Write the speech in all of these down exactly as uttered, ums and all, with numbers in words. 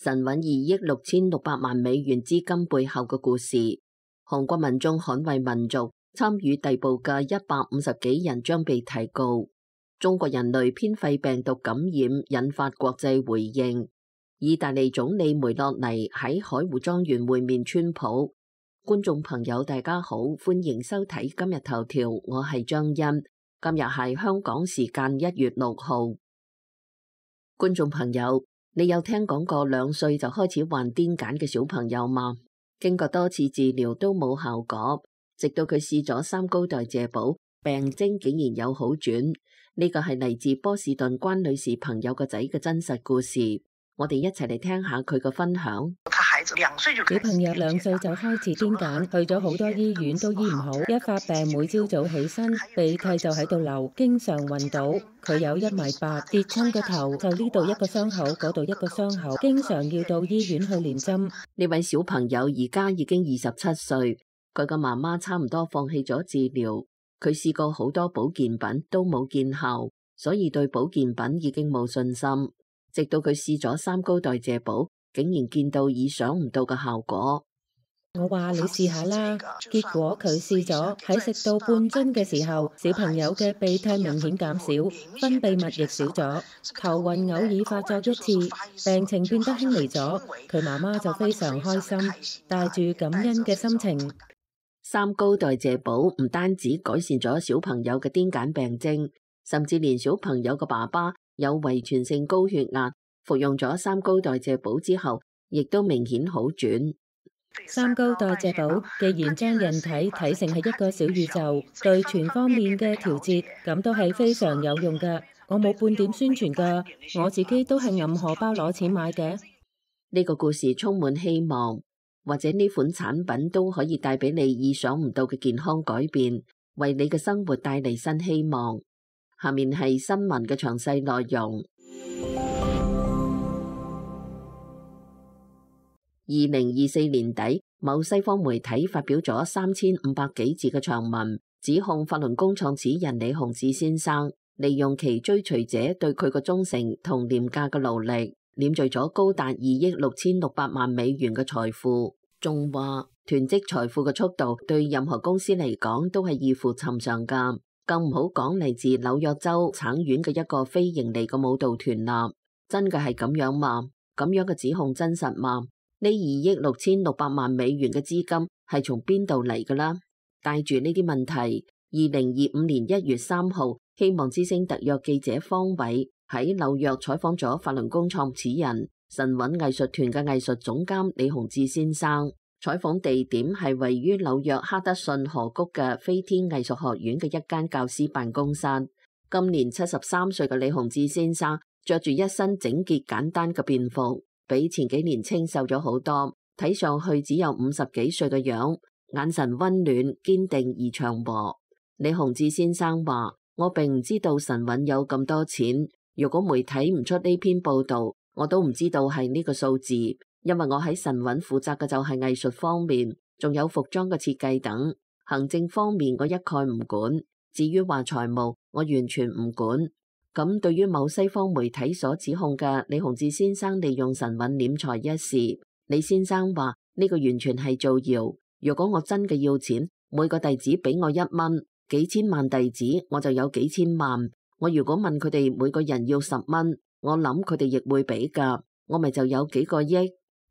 神韻二億六千六百萬美元資金背後嘅故事。韓國民眾捍衛民族參與逮捕嘅一百五十幾人將被提告。中國人類偏肺病毒感染引發國際回應。意大利總理梅洛尼喺海湖莊園會面川普。觀眾朋友大家好，歡迎收睇今日頭條，我係張欣。今日係香港時間一月六號。觀眾朋友，你有聽講過兩歲就開始患癲癇嘅小朋友嗎？經過多次治療都冇效果，直到佢試咗三高代謝寶，病徵竟然有好轉。呢個係嚟自波士頓關女士朋友個仔嘅真實故事，我哋一齊嚟聽下佢嘅分享。小朋友兩歲就開始癲癇，去咗好多醫院都醫唔好，一發病每朝早起身鼻涕就喺度流，經常暈倒。佢有一米八，跌親個頭就呢度一個傷口，嗰度一個傷口，經常要到醫院去連針。呢位小朋友而家已經二十七歲，佢嘅媽媽差唔多放棄咗治療，佢試過好多保健品都冇見效，所以對保健品已經冇信心。直到佢試咗三高代謝寶，竟然見到意想唔到嘅效果。我話你試下啦，結果佢試咗，喺食到半樽嘅時候，小朋友嘅鼻涕明顯減少，分泌物亦少咗，頭暈偶爾發作一次，病情變得輕微咗。佢媽媽就非常開心，帶住感恩嘅心情。三高代謝寶唔單止改善咗小朋友嘅癲癇病徵，甚至連小朋友嘅爸爸有遺傳性高血壓，服用咗三高代謝寶之後，亦都明顯好轉。三高代謝寶既然將人體睇成係一個小宇宙，對全方面嘅調節，咁都係非常有用㗎。我冇半點宣傳㗎，我自己都係揞荷包攞錢買嘅。呢個故事充滿希望，或者呢款產品都可以帶俾你意想唔到嘅健康改變，為你嘅生活帶嚟新希望。下面係新聞嘅詳細內容。二零二四年底，某西方媒體發表咗三千五百幾字嘅長文，指控法輪功創始人李洪志先生利用其追隨者對佢嘅忠誠同廉價嘅勞力，斂聚咗高達二億六千六百萬美元嘅財富。仲話囤積財富嘅速度對任何公司嚟講都係異乎尋常㗎，更唔好講嚟自紐約州橙縣嘅一個非盈利嘅舞蹈團啦。真嘅係咁樣嗎？咁樣嘅指控真實嗎？呢二億六千六百萬美元嘅資金係從邊度嚟㗎啦？帶住呢啲問題，二零二五年一月三號，希望之聲特約記者方偉喺紐約採訪咗法輪功創始人神韻藝術團嘅藝術總監李洪志先生。採訪地點係位於紐約哈德遜河谷嘅飛天藝術學院嘅一間教師辦公室。今年七十三歲嘅李洪志先生着住一身整潔簡單嘅便服，比前幾年清瘦咗好多，睇上去只有五十幾歲嘅樣，眼神溫暖、堅定而祥和。李洪志先生話：我並唔知道神韻有咁多錢，如果媒體唔出呢篇報道，我都唔知道係呢個數字，因為我喺神韻負責嘅就係藝術方面，仲有服裝嘅設計等，行政方面我一概唔管。至於話財務，我完全唔管。咁對於某西方媒體所指控嘅李洪志先生利用神韻斂財一事，李先生話呢個完全係造謠。如果我真嘅要錢，每個弟子俾我一蚊，幾千萬弟子我就有幾千萬。我如果問佢哋每個人要十蚊，我諗佢哋亦會俾噶，我咪就有幾個億。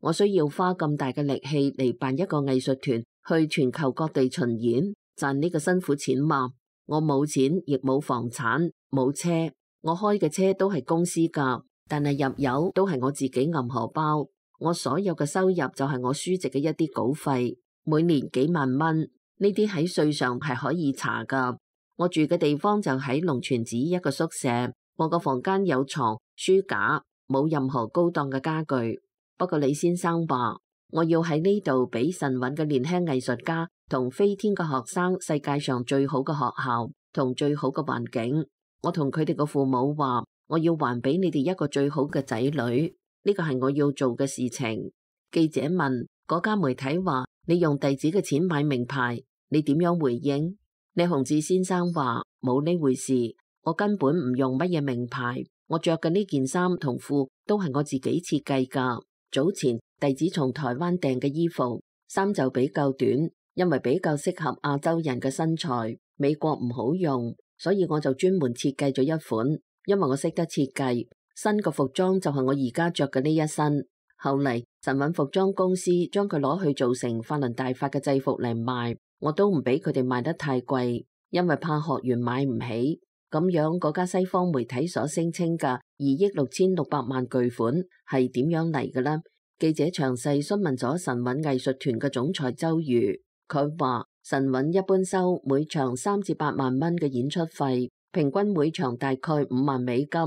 我需要花咁大嘅力氣嚟辦一個藝術團去全球各地巡演，賺呢個辛苦錢嘛？我冇錢，亦冇房產，冇車。我開嘅車都係公司㗎，但係入油都係我自己揞荷包。我所有嘅收入就係我書籍嘅一啲稿費，每年幾萬蚊，呢啲喺稅上係可以查㗎。我住嘅地方就喺龍泉寺一個宿舍，我個房間有床、書架，冇任何高檔嘅家具。不過李先生話，我要喺呢度俾神韻嘅年輕藝術家同飛天嘅學生世界上最好嘅學校同最好嘅環境。我同佢哋嘅父母話，我要還俾你哋一個最好嘅仔女，呢個係我要做嘅事情。記者問嗰家媒體話，你用弟子嘅錢買名牌，你點樣回應？李洪志先生話，冇呢回事，我根本唔用乜嘢名牌，我着嘅呢件衫同褲都係我自己設計噶。早前弟子從台灣訂嘅衣服，衫就比較短，因為比較適合亞洲人嘅身材，美國唔好用，所以我就專門設計咗一款，因為我識得設計。新嘅服裝就係我而家着嘅呢一身。後嚟神韻服裝公司將佢攞去做成法輪大法嘅制服嚟賣，我都唔俾佢哋賣得太貴，因為怕學員買唔起。咁樣嗰家西方媒體所聲稱嘅二億六千六百萬巨款係點樣嚟嘅呢？記者詳細詢問咗神韻藝術團嘅總裁周瑜，佢話神韻一般收每場三至八萬蚊嘅演出費，平均每場大概五萬美金。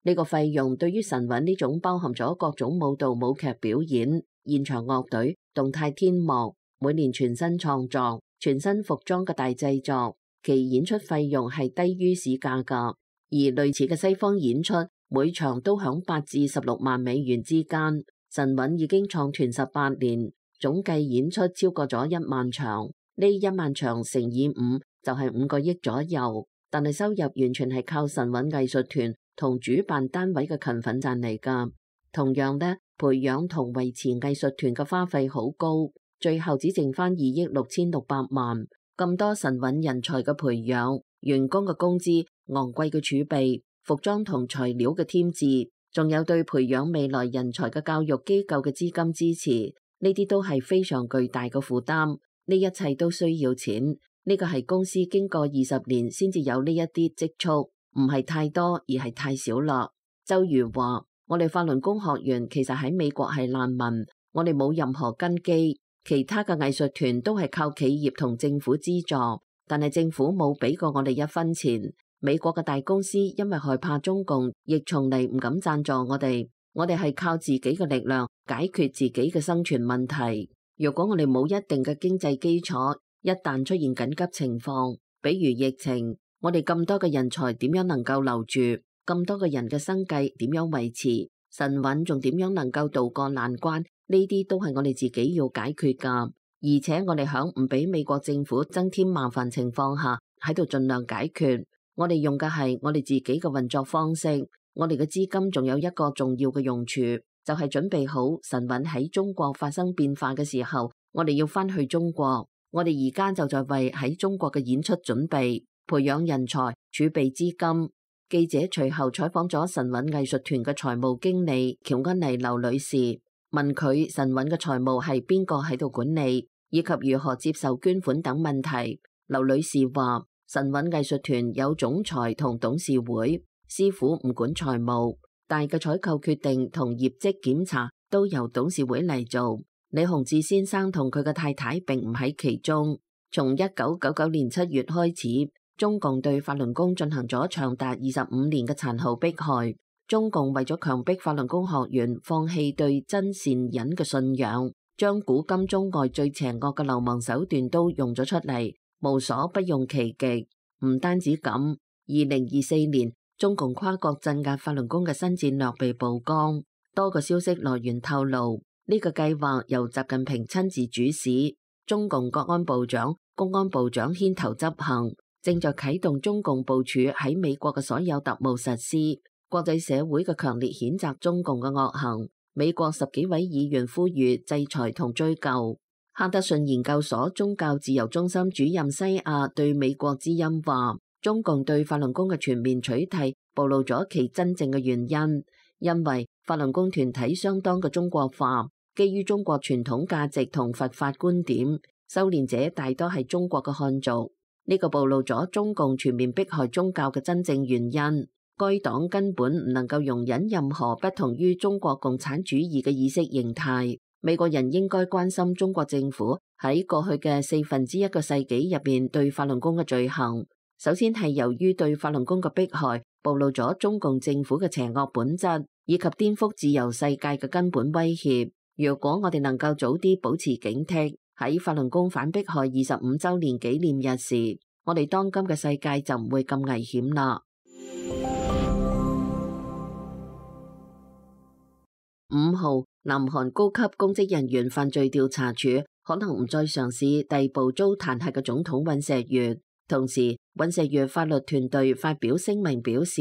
呢個費用對於神韻呢種包含咗各種舞蹈、舞劇表演、現場樂隊、動態天幕、每年全新創作、全新服裝嘅大製作，其演出費用係低於市價㗎。而類似嘅西方演出，每場都響八至十六萬美元之間。神韻已經創團十八年，總計演出超過咗一萬場，呢一萬場乘以五就係五個億左右。但係收入完全係靠神韻藝術團同主辦單位嘅勤奮賺嚟㗎。同樣呢，培養同維持藝術團嘅花費好高，最後只剩翻二億六千六百萬。咁多神韻人才嘅培養、員工嘅工資、昂貴嘅儲備、服裝同材料嘅添置，仲有對培養未來人才嘅教育機構嘅資金支持，呢啲都係非常巨大嘅負擔。呢一切都需要錢。呢個係公司經過二十年先至有呢一啲積蓄，唔係太多，而係太少啦。周瑜話：我哋法輪功學員其實喺美國係難民，我哋冇任何根基，其他嘅藝術團都係靠企業同政府資助，但係政府冇俾過我哋一分錢。美國嘅大公司因為害怕中共，亦從嚟唔敢贊助我哋。我哋係靠自己嘅力量解決自己嘅生存問題。如果我哋冇一定嘅經濟基礎，一旦出現緊急情況，比如疫情，我哋咁多嘅人才點樣能夠留住？咁多嘅人嘅生計點樣維持？神韻仲點樣能夠渡過難關？呢啲都係我哋自己要解決噶。而且我哋響唔俾美國政府增添麻煩情況下，喺度盡量解決。我哋用嘅係我哋自己嘅運作方式。我哋嘅資金仲有一個重要嘅用處，就係準備好神韻喺中國發生變化嘅時候，我哋要翻去中國。我哋而家就在為喺中國嘅演出準備，培養人才，儲備資金。記者隨後採訪咗神韻藝術團嘅財務經理喬恩妮劉女士，問佢神韻嘅財務係邊個喺度管理，以及如何接受捐款等問題。劉女士話：神韻藝術團有總裁同董事會，師傅唔管財務，大嘅採購決定同業績檢查都由董事會嚟做。李洪志先生同佢嘅太太並唔喺其中。從一九九九年七月開始，中共對法輪功進行咗長達二十五年嘅殘酷迫害。中共為咗強迫法輪功學員放棄對真善忍嘅信仰，將古今中外最邪惡嘅流氓手段都用咗出嚟，無所不用其極。唔單止咁，二零二四年中共跨國鎮壓法輪功嘅新戰略被曝光。多個消息來源透露，呢個計劃由習近平親自主使，中共國安部長、公安部長牽頭執行，正在啟動中共部署喺美國嘅所有特務實施。國際社會嘅強烈譴責中共嘅惡行，美國十幾位議員呼籲制裁同追究。哈德遜研究所宗教自由中心主任西亞對美國之音話：中共對法輪功嘅全面取締暴露咗其真正嘅原因，因為法輪功團體相當嘅中國化，基於中國傳統價值同佛法觀點，修煉者大多係中國嘅漢族。呢個暴露咗中共全面迫害宗教嘅真正原因。該黨根本唔能夠容忍任何不同於中國共產主義嘅意識形態。美國人應該關心中國政府喺過去嘅四分之一個世紀入邊對法輪功嘅罪行。首先係由於對法輪功嘅迫害，暴露咗中共政府嘅邪惡本質，以及顛覆自由世界嘅根本威脅。如果我哋能夠早啲保持警惕，喺法輪功反迫害二十五週年紀念日時，我哋當今嘅世界就唔會咁危險啦。五號，南韓高級公職人員犯罪調查處可能唔再嘗試逮捕遭彈劾嘅總統尹錫悅。同時，尹錫悅法律團隊發表聲明表示，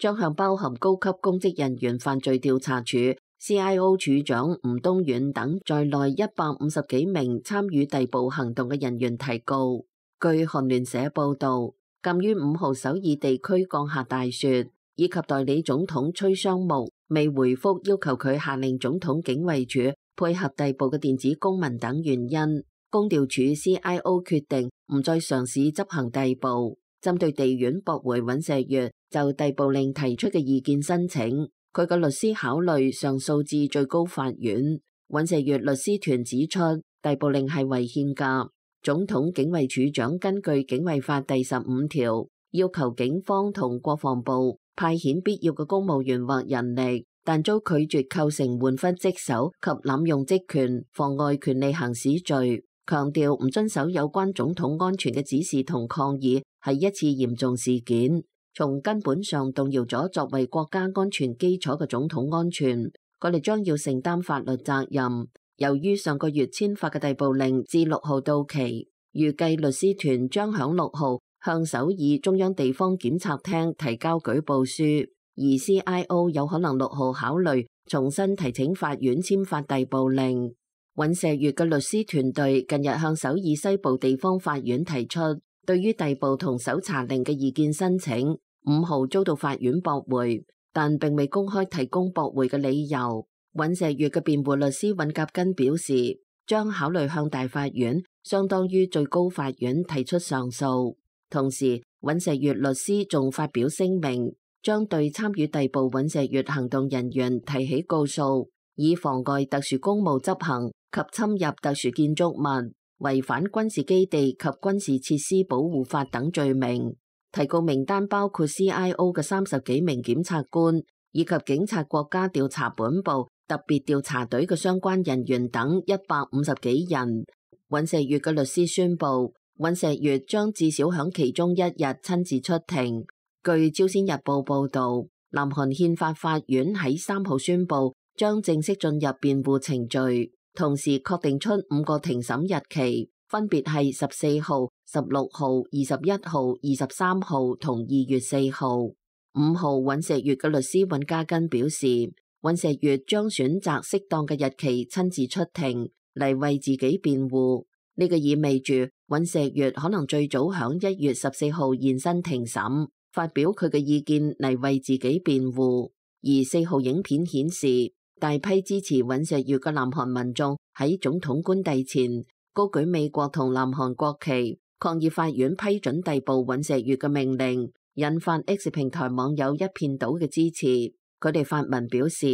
將向包含高級公職人員犯罪調查處 C I O 處長吳東遠等在內一百五十幾名參與逮捕行動嘅人員提告。據韓聯社報導，鑑於五號首爾地區降下大雪，以及代理總統崔尚木未回覆要求佢下令總統警衛處配合逮捕嘅電子公文等原因，公調處 C I O 決定唔再嘗試執行逮捕。針對地院駁回尹錫悅就逮捕令提出嘅意見申請，佢嘅律師考慮上訴至最高法院。尹錫悅律師團指出，逮捕令係違憲㗎。總統警衛處長根據警衛法第十五條，要求警方同國防部派遣必要嘅公務員或人力，但遭拒絕構成玩忽職守及濫用職權、妨礙權利行使罪，強調唔遵守有關總統安全嘅指示同抗議係一次嚴重事件，從根本上動搖咗作為國家安全基礎嘅總統安全，佢哋將要承擔法律責任。由於上個月簽發嘅逮捕令至六號到期，預計律師團將響六號向首爾中央地方檢察廳提交舉報書，而 C I O 有可能六號考慮重新提請法院簽發逮捕令。尹錫悅嘅律師團隊近日向首爾西部地方法院提出對於逮捕同搜查令嘅意見申請，五號遭到法院駁回，但並未公開提供駁回嘅理由。尹錫悅嘅辯護律師尹甲根表示，將考慮向大法院相當於最高法院提出上訴。同時，尹錫悅律師仲發表聲明，將對參與逮捕尹錫悅行動人員提起告訴，以妨礙特殊公務執行及侵入特殊建築物、違反軍事基地及軍事設施保護法等罪名。提告名單包括 C I O 嘅三十幾名檢察官，以及警察國家調查本部特別調查隊嘅相關人員等一百五十幾人。尹錫悅嘅律師宣布，尹錫悅將至少響其中一日親自出庭。據朝鮮日報報道，南韓憲法法院喺三號宣布將正式進入辯護程序，同時確定出五個庭審日期，分別係十四號、十六號、二十一號、二十三號同二月四號。五號，尹錫悅嘅律師尹家根表示，尹錫悅將選擇適當嘅日期親自出庭嚟為自己辯護。呢、這個意味住尹錫悅可能最早響一月十四號現身庭審，發表佢嘅意見嚟為自己辯護。而四號影片顯示，大批支持尹錫悅嘅南韓民眾喺總統官邸前高舉美國同南韓國旗，抗議法院批准逮捕尹錫悅嘅命令，引發 X 平台網友一片倒嘅支持。佢哋發文表示，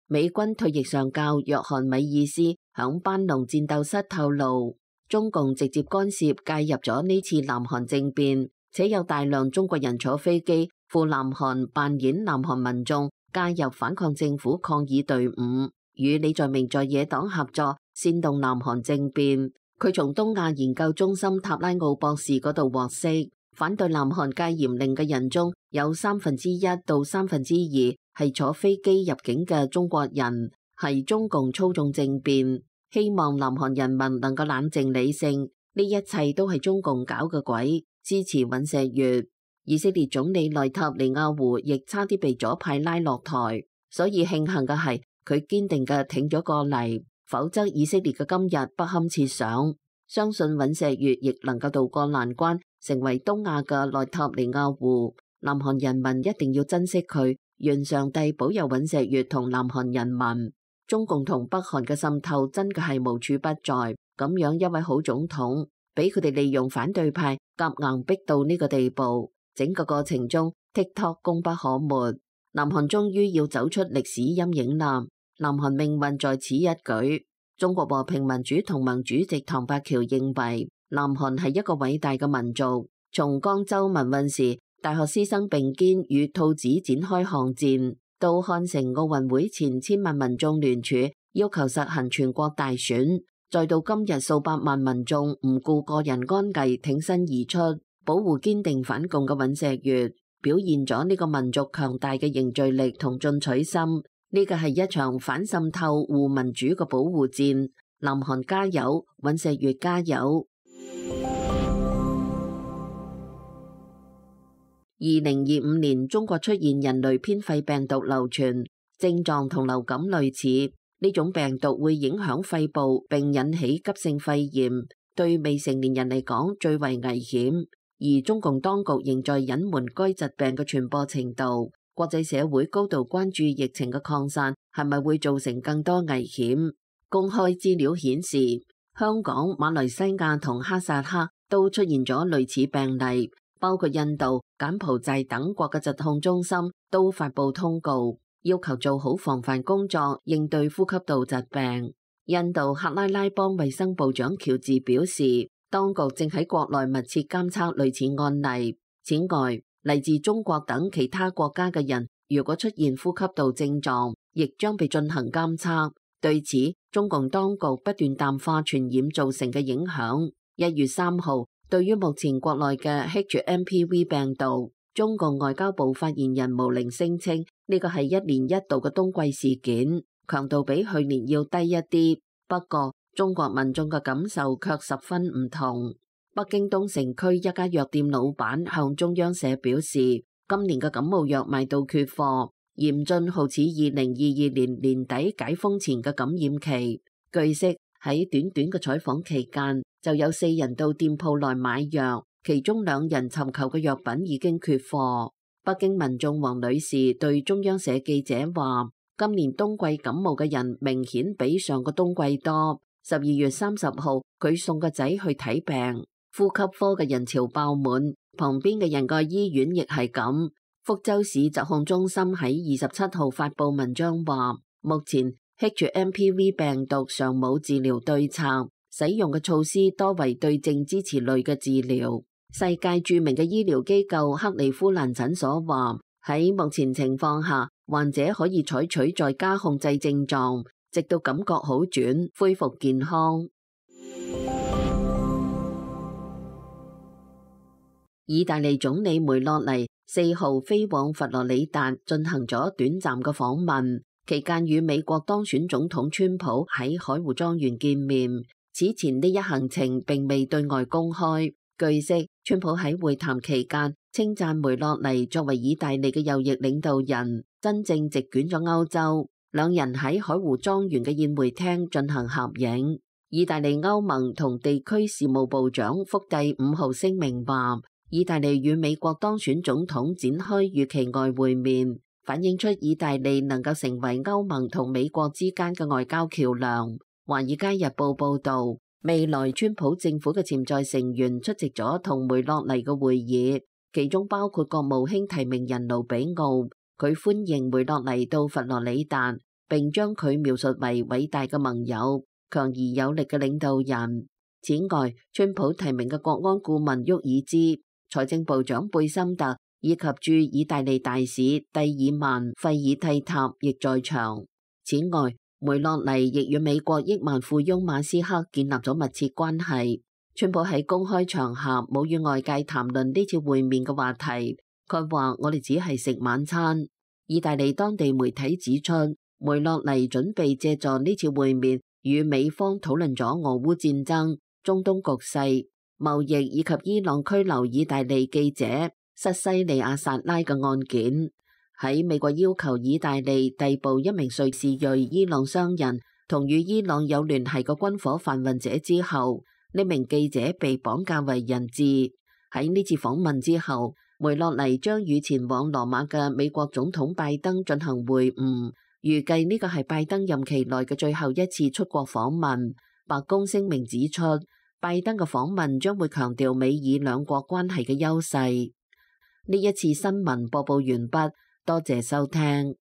美軍退役上校約翰米爾斯響班農戰鬥室透露，中共直接干涉介入咗呢次南韓政變，且有大量中國人坐飛機赴南韓扮演南韓民眾，加入反抗政府抗議隊伍，與李在明在野黨合作煽動南韓政變。佢從東亞研究中心塔拉奧博士嗰度獲悉，反對南韓戒嚴令嘅人中有三分之一到三分之二係坐飛機入境嘅中國人，係中共操縱政變，希望南韓人民能夠冷靜理性，呢一切都係中共搞嘅鬼，支持尹錫悅。以色列總理內塔尼亞胡亦差啲被左派拉落台，所以慶幸嘅係佢堅定嘅挺咗過嚟，否則以色列嘅今日不堪設想。相信尹錫悅亦能夠渡過難關，成為東亞嘅內塔尼亞胡。南韓人民一定要珍惜佢，願上帝保佑尹錫悅同南韓人民。中共同北韓嘅滲透真嘅係無處不在，咁樣一位好總統，俾佢哋利用反對派夾硬逼到呢個地步。整個過程中 TikTok 功不可沒，南韓終於要走出歷史陰影啦。南韓命運在此一舉。中國和平民主同盟主席唐伯喬認為，南韓係一個偉大嘅民族。從江州民運時大學師生並肩與兔子展開巷戰，到漢城奧運會前千萬民眾聯署要求實行全國大選，再到今日數百萬民眾唔顧個人安危挺身而出，保護堅定反共嘅尹錫悅，表現咗呢個民族強大嘅凝聚力同進取心。呢個係一場反滲透護民主嘅保護戰。南韓加油，尹錫悅加油。二零二五年中國出現人類偏肺病毒流傳，症狀同流感類似。呢種病毒會影響肺部並引起急性肺炎，對未成年人嚟講最為危險。而中共當局仍在隱瞞該疾病嘅傳播程度。國際社會高度關注疫情嘅擴散係咪會造成更多危險。公開資料顯示，香港、馬來西亞同哈薩克都出現咗類似病例，包括印度、柬埔寨等國嘅疾控中心都發布通告，要求做好防範工作，應對呼吸道疾病。印度克拉拉邦衛生部長喬治表示，當局正喺國內密切監測類似案例。此外，嚟自中國等其他國家嘅人，如果出現呼吸道症狀，亦將被進行監測。對此，中共當局不斷淡化傳染造成嘅影響。一月三號，對於目前國內嘅 H M P V 病毒，中共外交部發言人毛寧聲稱，呢個係一年一度嘅冬季事件，強度比去年要低一啲。不過，中國民眾嘅感受卻十分唔同。北京東城區一家藥店老闆向中央社表示，今年嘅感冒藥賣到缺貨，嚴峻好似二零二二年年底解封前嘅感染期。據悉，喺短短嘅採訪期間，就有四人到店鋪內買藥，其中兩人尋求嘅藥品已經缺貨。北京民眾王女士對中央社記者話，今年冬季感冒嘅人明顯比上個冬季多。十二月三十號，佢送個仔去睇病，呼吸科嘅人潮爆滿，旁邊嘅人個醫院亦係咁。福州市疾控中心喺二十七號發布文章話，目前 H M P V 病毒尚冇治療對策，使用嘅措施多為對症支持類嘅治療。世界著名嘅醫療機構克利夫蘭診所話，喺目前情況下，患者可以採取在家控制症狀，直到感覺好轉，恢復健康。意大利總理梅洛尼四號飛往佛羅里達進行咗短暫嘅訪問，期間與美國當選總統川普喺海湖莊園見面。此前呢一行程並未對外公開。據悉，川普喺會談期間稱讚梅洛尼作為意大利嘅右翼領導人，真正席捲咗歐洲。兩人喺海湖莊園嘅宴會廳進行合影。意大利歐盟同地區事務部長福蒂五號聲明話，意大利與美國當選總統展開預期外會面，反映出意大利能夠成為歐盟同美國之間嘅外交橋樑。華爾街日報報道，未來川普政府嘅潛在成員出席咗同梅洛尼嘅會議，其中包括國務卿提名人盧比奧。佢歡迎梅洛尼到佛羅里達，並將佢描述為偉大嘅盟友、強而有力嘅領導人。此外，川普提名嘅國安顧問沃爾茲、財政部長貝森特以及駐意大利大使蒂爾曼費爾蒂塔亦在場。此外，梅洛尼亦與美國億萬富翁馬斯克建立咗密切關係。川普喺公開場合冇與外界談論呢次會面嘅話題，佢話我哋只係食晚餐。意大利當地媒體指出，梅洛尼準備借助呢次會面與美方討論咗俄烏戰爭、中東局勢、貿易以及伊朗拘留意大利記者塞西利亞薩拉嘅案件。喺美國要求意大利逮捕一名瑞士裔伊朗商人同與伊朗有聯繫嘅軍火販運者之後，呢名記者被綁架為人質。喺呢次訪問之後，梅洛尼將與前往羅馬嘅美國總統拜登進行會晤，預計呢個係拜登任期內嘅最後一次出國訪問。白宮聲明指出，拜登嘅訪問將會強調美以兩國關係嘅優勢。呢一次新聞播報完畢，多謝收聽。